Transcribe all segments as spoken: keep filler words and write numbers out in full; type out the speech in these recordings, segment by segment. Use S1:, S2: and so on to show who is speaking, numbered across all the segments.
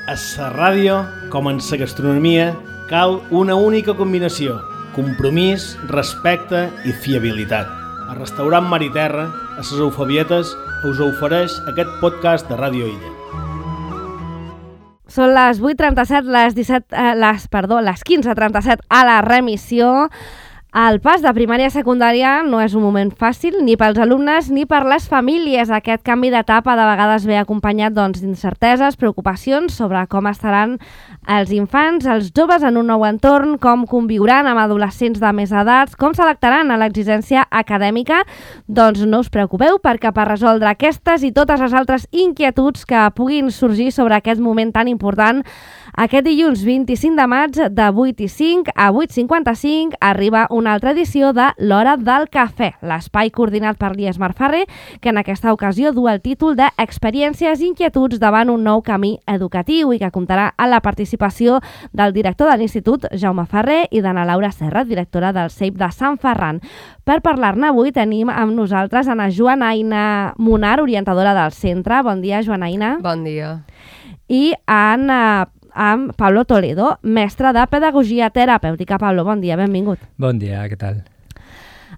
S1: A la ràdio, com en la gastronomia, cal una única combinació: compromís, respecte i fiabilitat. El restaurant Mar i Terra, a les Eufabietes, us ofereix aquest podcast de Ràdio Illa.
S2: Són les vuit trenta-set, les disset, eh, les, perdó, les quinze trenta-set a la remissió. El pas de primària a secundària no és un moment fàcil ni pels alumnes ni per les famílies. Aquest canvi d'etapa de vegades ve acompanyat doncs, d'incerteses, preocupacions sobre com estaran els infants, els joves en un nou entorn, com conviuran amb adolescents de més edats, com s'adaptaran a l'exigència acadèmica. Doncs no us preocupeu, perquè per resoldre aquestes i totes les altres inquietuds que puguin sorgir sobre aquest moment tan important, aquest dilluns vint-i-cinc de maig de vuit i cinc a vuit cinquanta-cinc arriba una altra edició de l'Hora del Cafè, l'espai coordinat per l'I E S Marfarre, que en aquesta ocasió du el títol d'Experiències i inquietuds davant un nou camí educatiu i que comptarà amb la participació del director de l'Institut, Jaume Ferrer, i d'Anna Laura Serra, directora del C E I P de Sant Ferran. Per parlar-ne avui tenim amb nosaltres Ana Joanaina Munar, orientadora del centre. Bon dia, Joanaina.
S3: Bon dia.
S2: I Anna amb Pablo Toledo, mestre de Pedagogia Terapèutica. Pablo, bon dia, benvingut.
S4: Bon dia, què tal?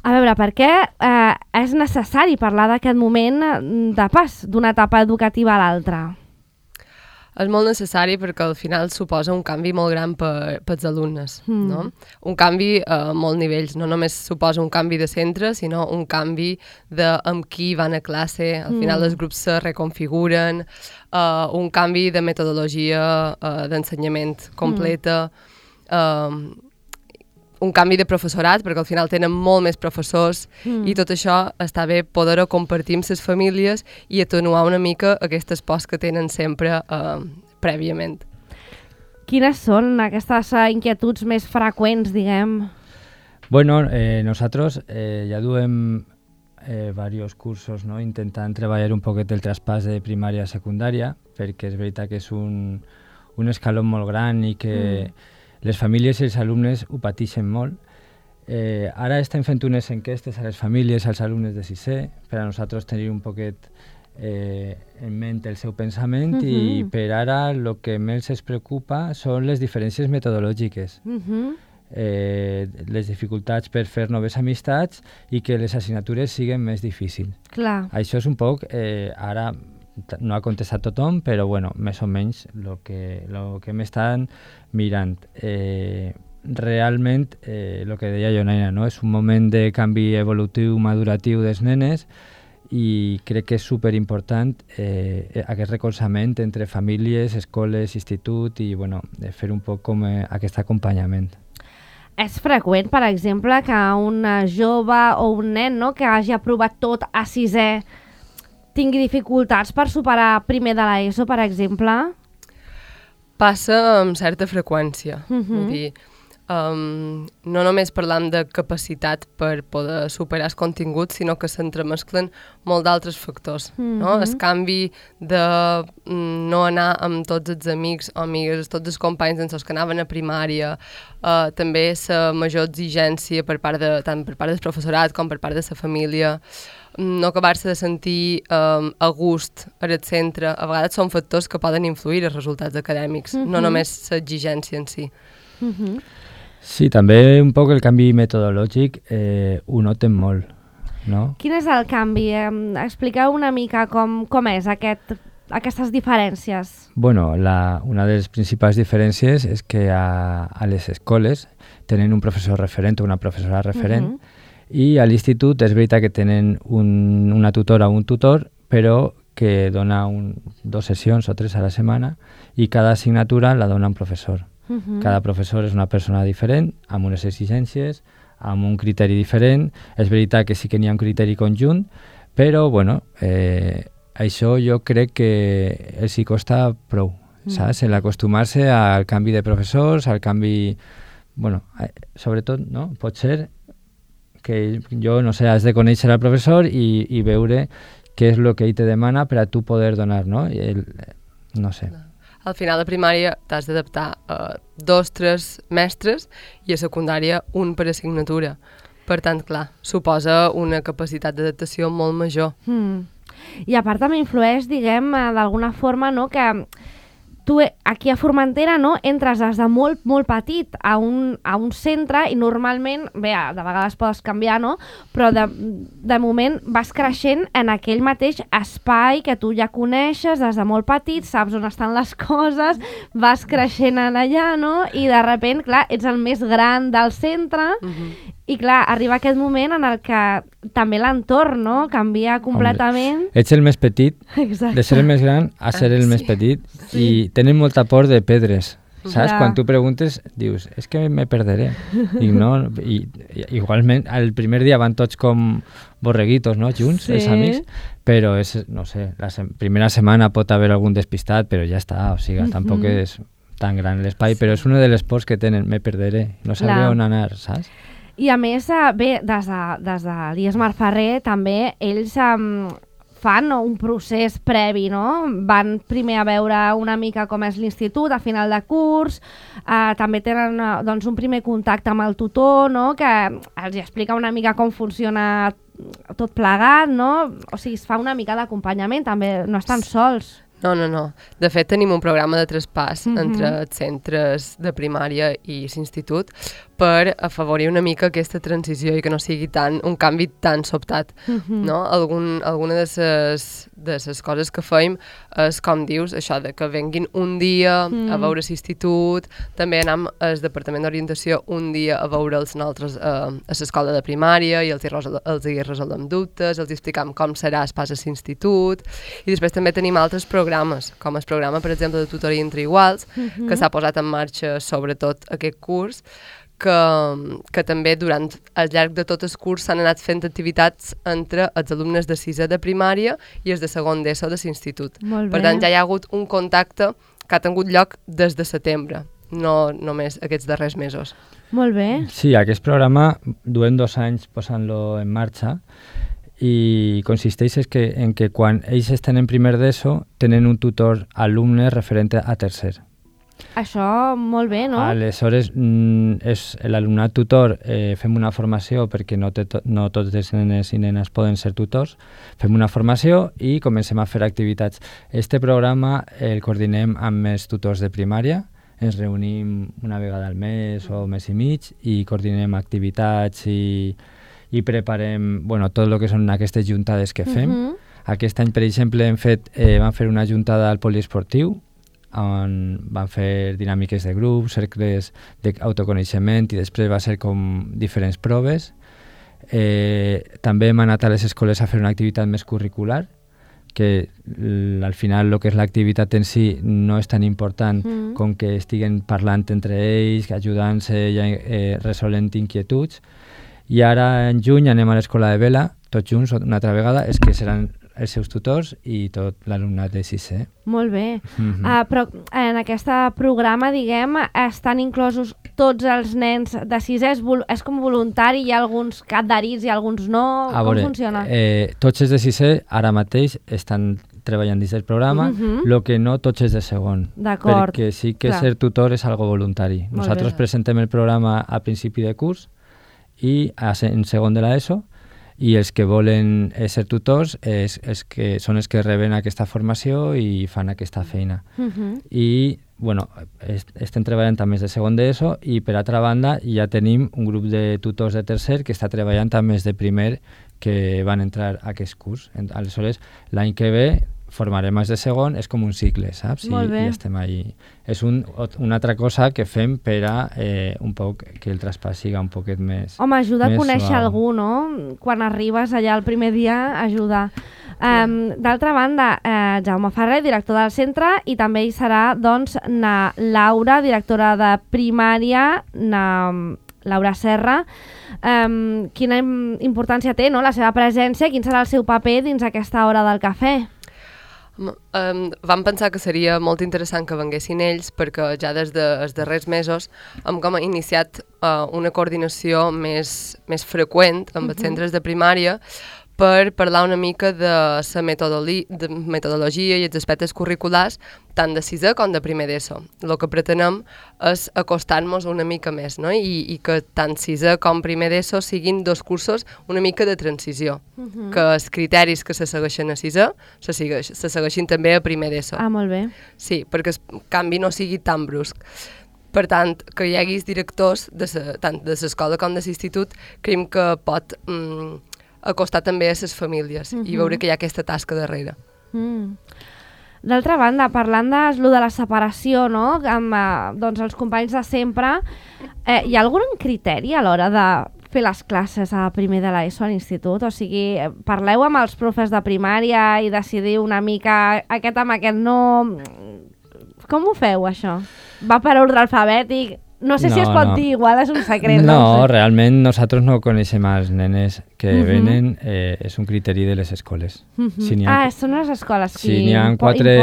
S2: A veure, per què eh, és necessari parlar d'aquest moment de pas d'una etapa educativa a l'altra?
S3: És molt necessari perquè al final suposa un canvi molt gran per, per als alumnes,
S2: mm.
S3: no? Un canvi a molts nivells, no només suposa un canvi de centre, sinó un canvi de amb qui van a classe, al final mm. els grups se reconfiguren, uh, un canvi de metodologia uh, d'ensenyament completa, mm. uh, un canvi de professorat, perquè al final tenen molt més professors mm. i tot això està bé poder-ho compartir amb les famílies i atenuar una mica aquestes pors que tenen sempre eh, prèviament.
S2: Quines són aquestes inquietuds més freqüents, diguem?
S4: Bueno, eh, nosaltres eh, ja duem eh, diversos cursos, no? Intentant treballar un poquet el traspàs de primària a secundària, perquè és veritat que és un, un escaló molt gran i que mm. les famílies i els alumnes ho pateixen molt. Eh, ara estem fent unes enquestes a les famílies, als alumnes de sisè, per a nosaltres tenir un poquet eh, en ment el seu pensament uh-huh. i per ara el que més es preocupa són les diferències metodològiques, uh-huh. eh, les dificultats per fer noves amistats i que les assignatures siguin més difícils.
S2: Clar.
S4: Això és un poc, eh, ara no ha contestat tothom, però bueno, més o menys el que, lo que m'estan mirant. Eh, realment, eh, el que deia Joanaina, no? És un moment de canvi evolutiu, maduratiu dels nenes i crec que és superimportant eh, aquest recolzament entre famílies, escoles, institut i bueno, fer un poc com eh, aquest acompanyament.
S2: És freqüent, per exemple, que un jove o un nen, no?, que hagi aprovat tot a sisè tingui dificultats per superar primer de l'ESO, per exemple?
S3: Passa amb certa freqüència. Uh-huh. Vull dir, um, no només parlam de capacitat per poder superar els continguts, sinó que s'entremesclen molt d'altres factors. Uh-huh. No? El canvi de mm, no anar amb tots els amics o amigues, tots els companys amb els que anaven a primària, uh, també la major exigència per part de, tant per part del professorat com per part de la família, no acabar-se de sentir um, a gust al centre, a vegades són factors que poden influir els resultats acadèmics, uh-huh. no només l'exigència en si.
S2: Uh-huh.
S4: Sí, també un poc el canvi metodològic eh, ho noten molt, no?
S2: Quin és el canvi? Eh, expliqueu una mica com, com és aquest, aquestes diferències.
S4: Bueno, la, una de les principals diferències és que a, a les escoles tenen un professor referent o una professora referent, uh-huh. i a l'institut és veritat que tenen un, una tutora o un tutor, però que dona un, dos sessions o tres a la setmana i cada assignatura la dona un professor. Uh-huh. Cada professor és una persona diferent, amb unes exigències, amb un criteri diferent. És veritat que sí que n'hi ha un criteri conjunt, però bueno, eh, això jo crec que els hi costa prou, uh-huh. saps? En acostumar-se al canvi de professors, al canvi... Bueno, eh, sobretot, no? Pot ser que jo, no sé, has de conèixer al professor i, i veure què és el que ell te demana per a tu poder donar, no? El, no sé.
S3: Al final de primària t'has d'adaptar a dos, tres mestres i a secundària un per assignatura. Per tant, clar, suposa una capacitat d'adaptació molt major.
S2: Mm. I a part també influeix, diguem, d'alguna forma, no?, que tu aquí a Formentera, no, entres des de molt, molt petit a un, a un centre i normalment, bé, de vegades pots canviar, no? Però de, de moment vas creixent en aquell mateix espai que tu ja coneixes des de molt petit, saps on estan les coses, vas creixent allà, no? I de sobte, clar, ets el més gran del centre uh-huh. I clar, arriba aquest moment en el que també l'entorn, no? Canvia completament.
S4: Hombre, ets el més petit,
S2: exacte.
S4: De ser el més gran a ser el sí. més petit sí. I tenen molta por de pedres, saps? Ja. Quan tu preguntes, dius, és que me perderé. I no, i, i, igualment, el primer dia van tots com borreguitos, no? Junts, sí. Els amics, però és, no sé, la se- primera setmana pot haver algun despistat, però ja està, o sigui, mm-hmm. tampoc és tan gran l'espai, sí. Però és una de les pors que tenen, me perderé, no sabré clar. On anar, saps?
S2: I a més, bé, des de, des de l'I E S Marferrer també ells um, fan no, un procés previ, no? Van primer a veure una mica com és l'institut a final de curs, uh, també tenen uh, doncs, un primer contacte amb el tutor, no? Que els explica una mica com funciona tot plegat, no? O sigui, es fa una mica d'acompanyament, també no estan sols.
S3: No, no, no. De fet, tenim un programa de traspàs mm-hmm. entre els centres de primària i l'institut per afavorir una mica aquesta transició i que no sigui tan, un canvi tan sobtat. Mm-hmm. No? Algun, alguna de les de les coses que feim és, com dius, això de que venguin un dia mm. a veure l'institut, també anem al Departament d'Orientació un dia a veure'ls nosaltres a, a l'escola de primària i els hi, resol, els hi resolem dubtes, els hi explicam com serà el pas a l'institut, i després també tenim altres programes, com el programa, per exemple, de tutoria entre iguals, mm-hmm. que s'ha posat en marxa sobretot aquest curs, que, que també durant al llarg de tot el curs s'han anat fent activitats entre els alumnes de sisè de primària i els de segon d'ESO de l'institut. Per tant, ja hi ha hagut un contacte que ha tingut lloc des de setembre, no només aquests darrers mesos.
S2: Molt bé.
S4: Sí, aquest programa duem dos anys posant-lo en marxa i consisteix és que, en que quan ells estan en primer d'ESO tenen un tutor alumne referent a tercer.
S2: Això molt bé, no?
S4: Aleshores, mm, és l'alumnat tutor, eh, fem una formació perquè no, te to- no tots els nenes i nenes poden ser tutors, fem una formació i comencem a fer activitats. Este programa el coordinem amb els tutors de primària, ens reunim una vegada al mes o mes i mig i coordinem activitats i, i preparem bueno, tot el que són aquestes juntades que fem. Uh-huh. Aquest any, per exemple, hem fet, eh, vam fer una juntada al poliesportiu, on van fer dinàmiques de grup, cercles d'autoconeixement i després va ser com diferents proves. Eh, també hem anat a les escoles a fer una activitat més curricular, que l- al final el que és l'activitat en si no és tan important mm. com que estiguen parlant entre ells, ajudant-se i eh, resolent inquietuds. I ara en juny anem a l'escola de vela, tots junts una altra vegada, és que seran els seus tutors i tot l'alumnat de sisè.
S2: Molt bé.
S4: Mm-hmm.
S2: Uh, però en aquest programa, diguem, estan inclosos tots els nens de sisè? És, vol- és com voluntari? Hi ha alguns adherits i alguns no?
S4: A
S2: Com
S4: veure,
S2: funciona?
S4: Eh, tots els de sisè ara mateix estan treballant dins del programa,
S2: Mhm.
S4: el que no tots els de segon.
S2: D'acord.
S4: Perquè sí que
S2: Clar.
S4: ser tutor és algo voluntari.
S2: Molt
S4: Nosaltres
S2: bé.
S4: presentem el programa a principi de curs i a, se- en segon de l'ESO, i els que volen eh, ser tutors és, és que són els que reben aquesta formació i fan aquesta feina.
S2: Mhm.
S4: I bueno, est estem treballant amb els de segon d'ESO i per altra banda ja tenim un grup de tutors de tercer que està treballant amb els de primer que van entrar a aquest curs. En- Aleshores, l'any que ve formarem els de segon, és com un cicle, saps? I,
S2: Molt bé.
S4: i estem ahí. És un, ot- una altra cosa que fem per a eh, un poc que el traspàs siga un poquet més...
S2: Home, ajuda a
S4: més
S2: conèixer
S4: suau.
S2: algú, no? Quan arribes allà el primer dia, ajuda. Um, D'altra banda, eh, Jaume Ferrer, director del centre, i també hi serà, doncs, na Laura, directora de primària, na Laura Serra. Um, quina im- importància té, no?, la seva presència, quin serà el seu paper dins aquesta hora del cafè?
S3: Um, vam pensar que seria molt interessant que venguessin ells perquè ja des dels de, darrers mesos hem com iniciat uh, una coordinació més, més freqüent amb els centres de primària per parlar una mica de la de metodologia i els aspectes curriculars tant de sisè com de primer d'ESO. El que pretenem és acostar-nos una mica més, no? I, i que tant sisè com primer d'ESO siguin dos cursos una mica de transició, uh-huh. que els criteris que se segueixen a sisè se, segueix, se segueixin també a primer d'ESO.
S2: Ah, molt bé.
S3: Sí, perquè el canvi no sigui tan brusc. Per tant, que hi haguis directors de sa, tant de l'escola com de l'institut, creiem que pot mm, acostar també a les famílies uh-huh. i veure que hi ha aquesta tasca darrere.
S2: Mm. D'altra banda, parlant de, de la separació, no?, amb eh, doncs els companys de sempre, eh, hi ha algun criteri a l'hora de fer les classes a primer de l'ESO a l'institut? O sigui, parleu amb els profes de primària i decidiu una mica aquest amb aquest no... Com ho feu, això? Va per ordre alfabètic? No sé no, si es pot no. dir, igual és un secret.
S4: No,
S2: no sé.
S4: Realment nosaltres no coneixem els nenes que uh-huh. venen, eh, és un criteri de les escoles.
S2: Uh-huh.
S4: Si ha,
S2: ah, són les escoles qui
S4: si n'hi ha, quatre,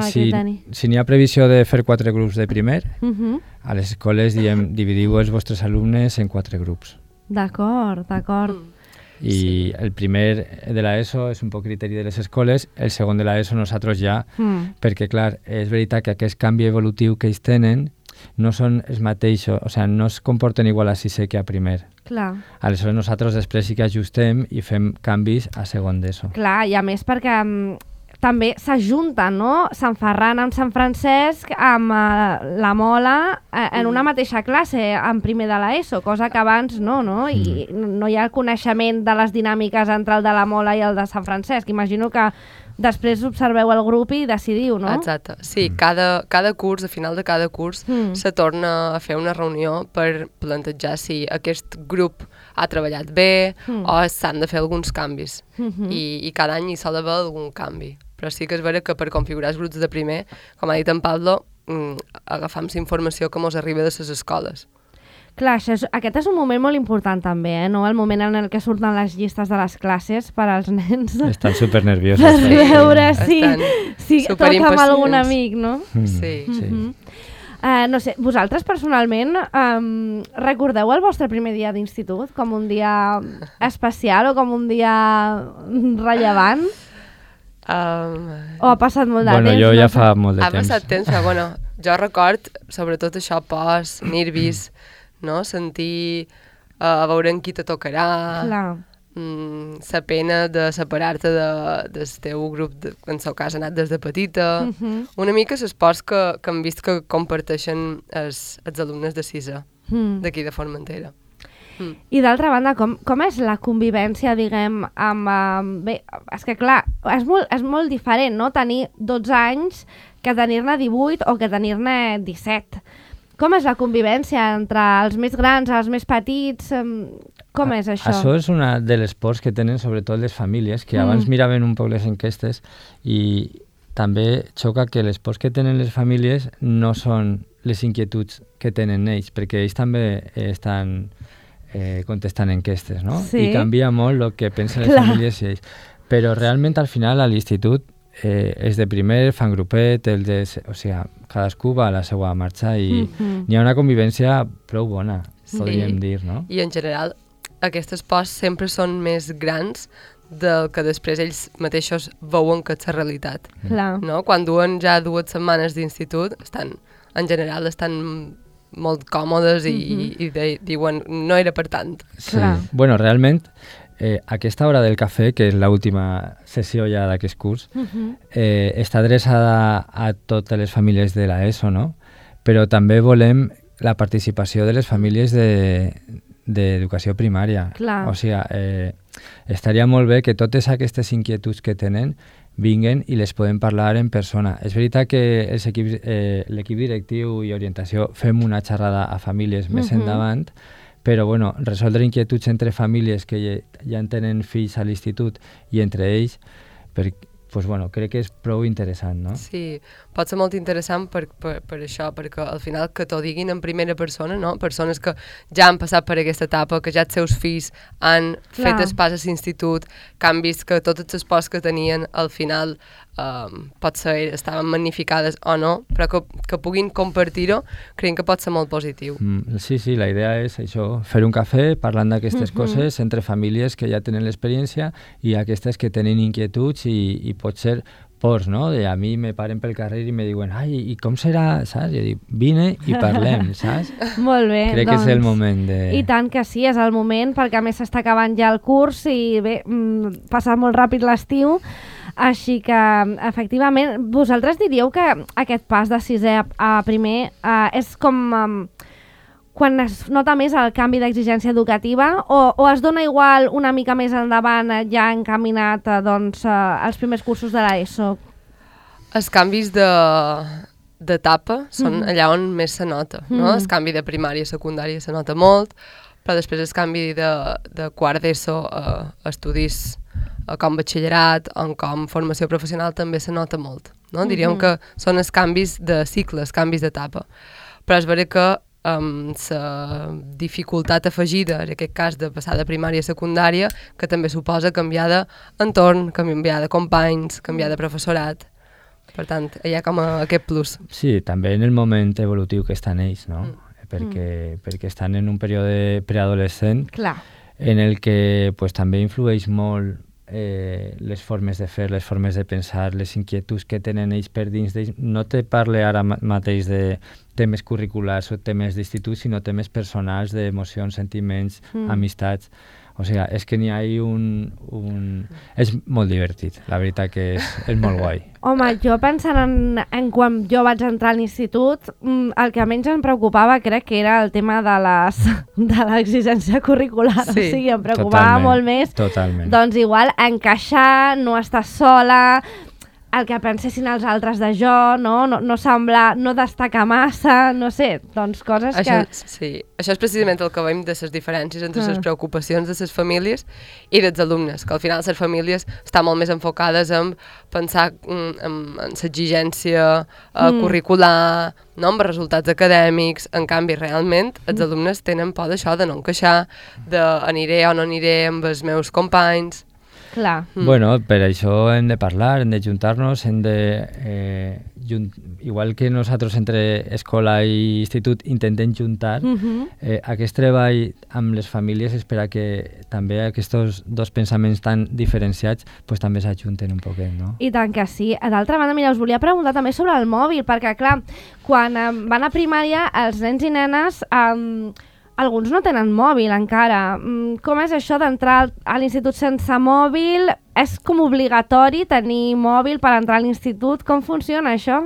S4: si, si n'hi ha previsió de fer quatre grups de primer, uh-huh. a les escoles diem, dividiu els vostres alumnes en quatre grups.
S2: D'acord, d'acord. Mm.
S4: I sí. el primer de l'ESO és un poc criteri de les escoles, el segon de l'ESO nosaltres ja, mm. perquè clar, és veritat que aquest canvi evolutiu que ells tenen no són els mateixos, o sigui, no es comporten igual a sisè que a primer.
S2: Clar.
S4: Aleshores nosaltres després sí que ajustem i fem canvis a segon d'ESO.
S2: Clar, i a més perquè um, també s'ajunten, no? Sant Ferran amb Sant Francesc, amb uh, la Mola, uh, en una mateixa classe, en primer de l'ESO, cosa que abans no, no? I mm. no hi ha coneixement de les dinàmiques entre el de la Mola i el de Sant Francesc. Imagino que després observeu el grup i decidiu, no?
S3: Exacte. Sí, cada, cada curs, a final de cada curs, mm. se torna a fer una reunió per plantejar si aquest grup ha treballat bé mm. o s'han de fer alguns canvis. Mm-hmm. I, I cada any hi sol haver algun canvi. Però sí que és vera que per configurar els grups de primer, com ha dit en Pablo, mm, agafam la informació que ens arriba de les escoles.
S2: Clar, això és, aquest és un moment molt important també, eh? No? El moment en el que surten les llistes de les classes per als nens.
S4: Estan supernerviosos.
S2: Per veure si, si toca amb algun amic, no?
S3: Mm. Sí.
S2: Mm-hmm. sí. Uh, no sé, vosaltres personalment um, recordeu el vostre primer dia d'institut com un dia especial o com un dia rellevant?
S3: Um,
S2: o ha passat molt de
S4: bueno,
S2: temps?
S4: Bueno, jo
S2: no
S4: ja
S2: sé.
S4: fa molt de
S3: ha
S4: temps.
S3: Ha passat temps, però bueno, jo record sobretot això post, nervis, no? Sentir uh, a veure en qui te tocarà, mm, la pena de separar-te de, del teu grup, de, en el seu cas ha anat des de petita, uh-huh. una mica les pors que, que hem vist que comparteixen els, els alumnes de sisè, mm. d'aquí de Formentera. Mm.
S2: I d'altra banda, com, com és la convivència, diguem, amb... Um, bé, és que clar, és molt, és molt diferent, no?, tenir dotze anys que tenir-ne divuit o que tenir-ne disset. Com és la convivència entre els més grans, els més petits? Com és això?
S4: Això és una de les pors que tenen sobretot les famílies, que mm. abans miraven un poc les enquestes i també xoca que les pors que tenen les famílies no són les inquietuds que tenen ells, perquè ells també estan... Eh, contestant enquestes, no?
S2: Sí.
S4: I canvia molt el que pensen les
S2: Clar.
S4: famílies i ells. Però realment al final a l'institut eh, és de primer, fan grupet, el de, o sigui, cadascú va a la seva marxa i mm-hmm. hi ha una convivència prou bona, sí. podríem dir, no?
S3: I en general aquestes pors sempre són més grans del que després ells mateixos veuen que és la realitat.
S2: Clar.
S3: No? Quan duen ja dues setmanes d'institut, estan, en general estan molt còmodes i, mm-hmm. i de, diuen no era per tant.
S4: Sí. Bueno, realment, eh, aquesta hora del cafè, que és l'última sessió ja d'aquest curs, mm-hmm. eh, està adreçada a totes les famílies de l'ESO, no? Però també volem la participació de les famílies d'educació de, primària.
S2: Clar.
S4: O sigui, eh, estaria molt bé que totes aquestes inquietuds que tenen vinguen i les podem parlar en persona. És veritat que els equips, eh, l'equip directiu i orientació fem una xerrada a famílies més uh-huh. endavant, però bueno, resoldre inquietuds entre famílies que ja, ja en tenen fills a l'institut i entre ells, per, pues bueno, crec que és prou interessant, no?
S3: Sí, pot ser molt interessant per, per, per això, perquè al final que t'ho diguin en primera persona, no? Persones que ja han passat per aquesta etapa, que ja els seus fills han Clar. fet el pas a l'institut, que han vist que totes les pors que tenien al final um, potser estaven magnificades o no, però que, que puguin compartir-ho, creiem que pot ser molt positiu.
S4: Mm, sí, sí, la idea és això, fer un cafè parlant d'aquestes uh-huh. coses entre famílies que ja tenen l'experiència i aquestes que tenen inquietuds i, i pot ser pors, no? De a mi me paren pel carrer i me diuen, ai, i com serà, saps? Jo dic, vine i parlem, saps?
S2: Molt bé,
S4: Crec
S2: doncs,
S4: que és el moment de...
S2: I tant que sí, és el moment, perquè a més s'està acabant ja el curs i bé, mm, passa molt ràpid l'estiu, així que, efectivament, vosaltres diríeu que aquest pas de sisè a, a primer eh, és com... Um, quan es nota més el canvi d'exigència educativa o, o es dona igual una mica més endavant eh, ja encaminat eh, doncs, eh, als primers cursos de l'ESO?
S3: Els canvis de d'etapa són mm-hmm. allà on més se nota, no? Mm-hmm. El canvi de primària a secundària se nota molt, però després el canvi de, de quart d'ESO a estudis a com batxillerat o com formació professional també se nota molt, no? Mm-hmm. Diríem que són els canvis de cicle, els canvis d'etapa. Però és vera que amb la dificultat afegida, en aquest cas de passar de primària a secundària, que també suposa canviar d'entorn, canviar de companys, canviar de professorat. Per tant, hi ha com a aquest plus.
S4: Sí, també en el moment evolutiu que estan ells, no? Mm. Perquè, mm. perquè estan en un període preadolescent
S2: Clar.
S4: En el que pues, també influeix molt eh, les formes de fer, les formes de pensar, les inquietuds que tenen ells per dins d'ells. No te parle ara mateix de temes curriculars o temes d'institut, sinó temes personals, d'emocions, sentiments, mm. amistats. O sigui, és que n'hi ha un, un... És molt divertit, la veritat que és, és molt guai.
S2: Home, jo pensant en, en quan jo vaig entrar a l'institut, el que menys em preocupava crec que era el tema de les de l'exigència curricular. Sí, o sigui, em preocupava
S4: totalment,
S2: molt més.
S4: Totalment.
S2: Doncs igual encaixar, no estar sola, el que pensessin els altres de jo, no, no, no semblar, no destacar massa, no sé, doncs coses
S3: això,
S2: que...
S3: Sí, això és precisament el que veiem de les diferències entre
S2: ah.
S3: les preocupacions de les famílies i dels alumnes, que al final les famílies estan molt més enfocades en pensar en, en, en l'exigència uh, mm. curricular, no, amb resultats acadèmics. En canvi, realment, els mm. alumnes tenen por d'això, de no encaixar, de aniré o no aniré amb els meus companys.
S2: Clar.
S4: Mm. Bueno, per això hem de parlar, hem de juntar-nos, hem de... Eh, junt... Igual que nosaltres entre escola i institut intentem juntar, mm-hmm. eh, aquest treball amb les famílies és per a que també aquests dos pensaments tan diferenciats pues, també s'ajunten un poquet, no?
S2: I tant que sí. D'altra banda, mira, us volia preguntar també sobre el mòbil, perquè, clar, quan eh, van a primària, els nens i nenes... Eh, alguns no tenen mòbil encara. Com és això d'entrar a l'institut sense mòbil? És com obligatori tenir mòbil per entrar a l'institut? Com funciona això?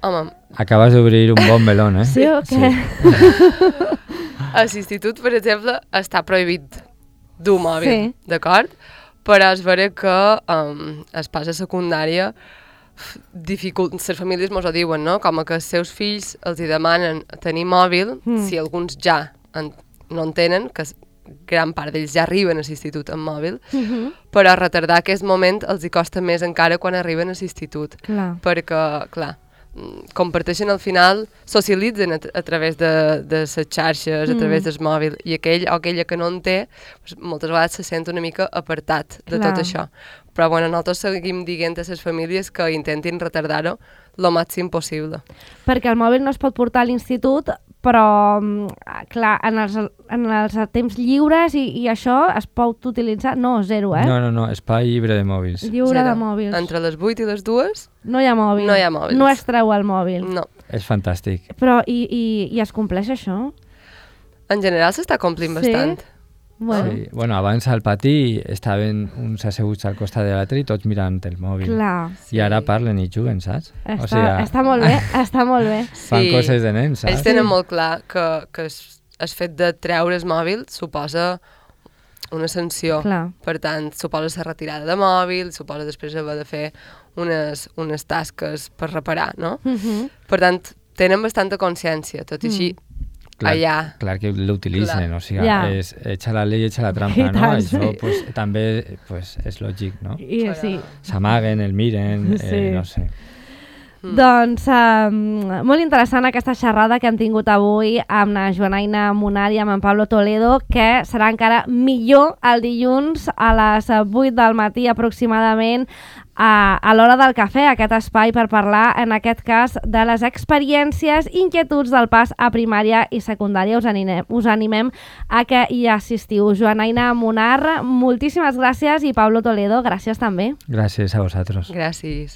S3: Home...
S4: Acabes d'obrir un bon melón, eh?
S2: Sí o què?
S3: Sí. A l'institut, per exemple, està prohibit dur mòbil, sí. D'acord? Però és vera que um, es passa a secundària dificult, les famílies mos ho diuen, no? Com que els seus fills els hi demanen tenir mòbil, mm. si alguns ja en, no en tenen, que gran part d'ells ja arriben a l'institut amb mòbil, mm-hmm. però retardar aquest moment els hi costa més encara quan arriben a l'institut.
S2: Clar.
S3: Perquè, clar, comparteixen al final, socialitzen a, a través de, de les xarxes, mm. a través del mòbil, i aquell o aquella que no en té, pues, moltes vegades se sent una mica apartat de Clar. Tot això. Però bueno, nosaltres seguim dient a les famílies que intentin retardar-ho el màxim possible.
S2: Perquè el mòbil no es pot portar a l'institut, però, clar, en els, en els temps lliures i, i això es pot utilitzar... No, zero, eh?
S4: No, no, no, espai lliure de mòbils.
S2: Lliure
S3: zero.
S2: de mòbils.
S3: Entre les vuit i les dues...
S2: No hi ha mòbil.
S3: No hi ha mòbils.
S2: No es treu el mòbil.
S3: No.
S4: És fantàstic.
S2: Però, i, i, i es compleix això?
S3: En general s'està complint
S2: sí?
S3: bastant.
S2: Bueno.
S4: Sí. Bueno, abans al pati estaven uns asseguts al costat de l'altre i tots mirant el mòbil.
S2: Clar.
S4: I ara parlen i juguen, saps?
S2: Està,
S4: o sigui,
S2: està molt bé, està molt bé.
S4: Fan sí. coses de nens, saps?
S3: Ells tenen molt clar que, que el fet de treure el mòbil suposa una sanció.
S2: Clar.
S3: Per tant, suposa ser retirada de mòbil, suposa després haver de fer unes, unes tasques per reparar, no?
S2: Uh-huh.
S3: Per tant, tenen bastanta consciència, tot i així,
S2: mm.
S3: Clar, allà...
S4: clar que l'utilitzen, o sigui,
S2: ja.
S4: és echa la llei, echa la trampa, no?
S2: tant,
S4: Això
S2: sí.
S4: pues, també pues, és lògic, no?
S2: I, sí.
S4: S'amaguen, el miren,
S2: sí.
S4: eh, no sé.
S2: Mm. Doncs um, molt interessant aquesta xerrada que hem tingut avui amb la Joanaina Munar i amb en Pablo Toledo, que serà encara millor el dilluns a les vuit del matí aproximadament a, a l'hora del cafè, aquest espai per parlar, en aquest cas, de les experiències, inquietuds del pas a primària i secundària. Us animem, us animem a que hi assistiu. Joanaina Munar, moltíssimes gràcies, i Pablo Toledo, gràcies també.
S4: Gràcies a vosaltres.
S3: Gràcies.